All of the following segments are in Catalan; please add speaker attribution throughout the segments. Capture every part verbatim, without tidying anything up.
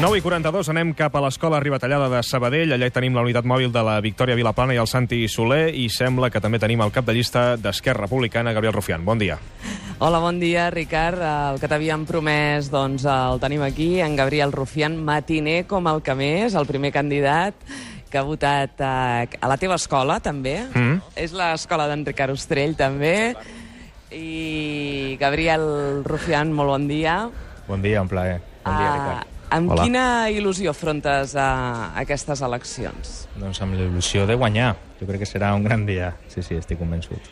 Speaker 1: nou i quaranta-dos, anem cap a l'Escola Ribatallada de Sabadell. Allà hi tenim la unitat mòbil de la Victòria Vilaplana i el Santi Soler, i sembla que també tenim el cap de llista d'Esquerra Republicana, Gabriel Rufián. Bon dia.
Speaker 2: Hola, bon dia, Ricard. El que t'havíem promès, doncs, el tenim aquí, en Gabriel Rufián, matiner com el que més, el primer candidat que ha votat a, a la teva escola, també. Mm. És l'escola d'en Ricard Ostrell, també. I Gabriel Rufián, molt bon dia.
Speaker 3: Bon dia, un plaer. Bon dia, Ricard.
Speaker 2: Amb
Speaker 3: Hola.
Speaker 2: Quina il·lusió afrontes a aquestes eleccions?
Speaker 3: Doncs amb l'il·lusió de guanyar. Jo crec que serà un gran dia. Sí, sí, estic convençut.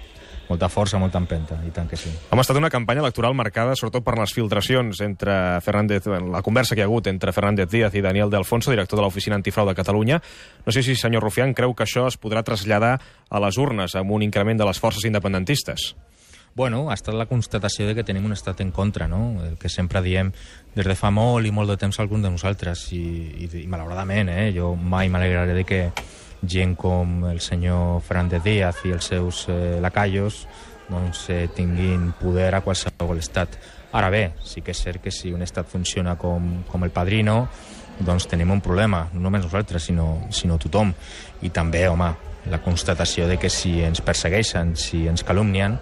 Speaker 3: Molta força, molta empenta, i tant que sí.
Speaker 1: Hem estat una campanya electoral marcada sobretot per les filtracions entre Fernández, la conversa que hi ha hagut entre Fernández Díaz i Daniel de Alfonso, director de l'Oficina Antifrau de Catalunya. No sé si, senyor Rufián, creu que això es podrà traslladar a les urnes amb un increment de les forces independentistes.
Speaker 3: Bueno, ha estat la constatació de que tenim un estat en contra, no? El que sempre diem des de fa molt i molt de temps alguns de nosaltres. I, i, i malauradament, eh? Jo mai m'alegraré de que gent com el senyor Fernández Díaz i els seus eh, lacayos doncs, eh, tinguin poder a qualsevol estat. Ara bé, sí que és cert que si un estat funciona com, com el Padrino, doncs tenim un problema, no només nosaltres, sinó, sinó tothom. I també, home, la constatació de que si ens persegueixen, si ens calumnien,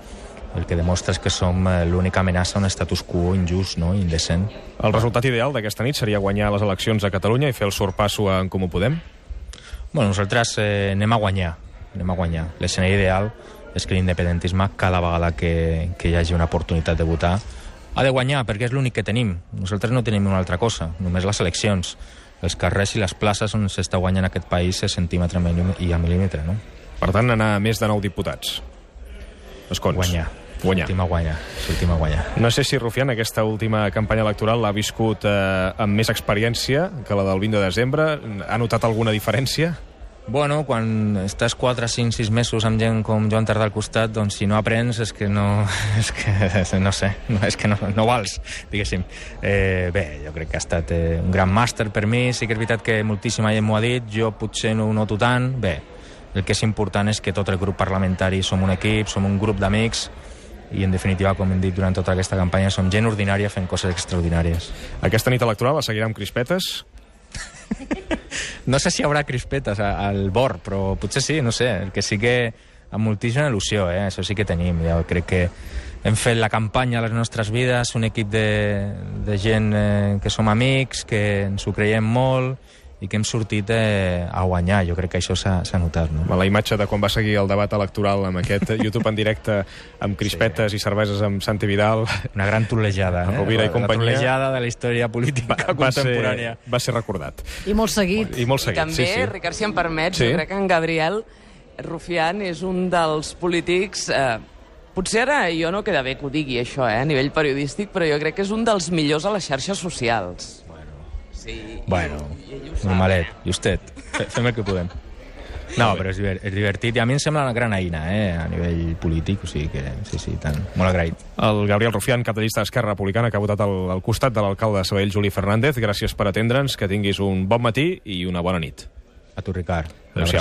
Speaker 3: el que demostra és que som l'única amenaça a un status quo injust, no? Indecent.
Speaker 1: El resultat ideal d'aquesta nit seria guanyar les eleccions a Catalunya i fer el sorpasso a En Comú Podem?
Speaker 3: Bueno, nosaltres eh, anem a guanyar. Anem a guanyar. L'escenari ideal és que l'independentisme, cada vegada que, que hi hagi una oportunitat de votar, ha de guanyar, perquè és l'únic que tenim. Nosaltres no tenim una altra cosa, només les eleccions. Els carrers i les places on s'està guanyant aquest país a centímetre i a mil·límetre, no?
Speaker 1: Per tant, anar a més de nou diputats. Escons.
Speaker 3: Guanyar.
Speaker 1: Guanyar.
Speaker 3: Sortim a guanyar. Sortim a guanyar.
Speaker 1: No sé si Rufián aquesta última campanya electoral l'ha viscut eh, amb més experiència que la del vint de desembre. Ha notat alguna diferència?
Speaker 3: Bueno, quan estàs quatre, cinc, sis mesos amb gent com Joan Tardà al costat, doncs si no aprens és que no... És que no sé, no, és que no, no vals, diguéssim. Eh, bé, jo crec que ha estat eh, un gran màster per mi. Sí que és veritat que moltíssima gent m'ho ha dit, jo potser no ho noto tant. Bé, el que és important és que tot el grup parlamentari som un equip, som un grup d'amics, i en definitiva, com hem dit durant tota aquesta campanya, som gent ordinària fent coses extraordinàries.
Speaker 1: Aquesta nit electoral la seguirà amb crispetes?
Speaker 3: No sé si hi haurà crispetes al bord, però potser sí, no sé. El que sí que amb moltíssima il·lusió, eh? Això sí que tenim. Jo crec que hem fet la campanya a les nostres vides, un equip de, de gent eh, que som amics, que ens ho creiem molt i que hem sortit eh, a guanyar. Jo crec que això s'ha notat. No?
Speaker 1: La imatge de quan va seguir el debat electoral amb aquest YouTube en directe amb crispetes sí. i cerveses amb Santi Vidal.
Speaker 3: Una gran trolejada. Eh?
Speaker 1: Rovira i companyia.
Speaker 3: La trolejada de la història política va, contemporània.
Speaker 1: Va ser, va ser recordat.
Speaker 4: I molt seguit.
Speaker 1: I molt seguit,
Speaker 2: I també,
Speaker 1: sí, sí.
Speaker 2: Ricard, si em permets,
Speaker 1: sí.
Speaker 2: jo crec que en Gabriel Rufián és un dels polítics... Eh, potser ara jo no queda bé que ho digui, això, eh, a nivell periodístic, però jo crec que és un dels millors a les xarxes socials. Sí,
Speaker 3: bueno, normalet, justet, fem el que podem. No, però és, divert, és divertit i a mi em sembla una gran eina, eh, a nivell polític, o sigui que sí, sí, tant, molt agraït.
Speaker 1: El Gabriel Rufián, cap de llista d'Esquerra Republicana, que ha votat al, al costat de l'alcalde de Sabadell, Juli Fernández. Gràcies per atendre'ns, que tinguis un bon matí i una bona nit.
Speaker 3: A tu, Ricard.
Speaker 1: Adéu-siau.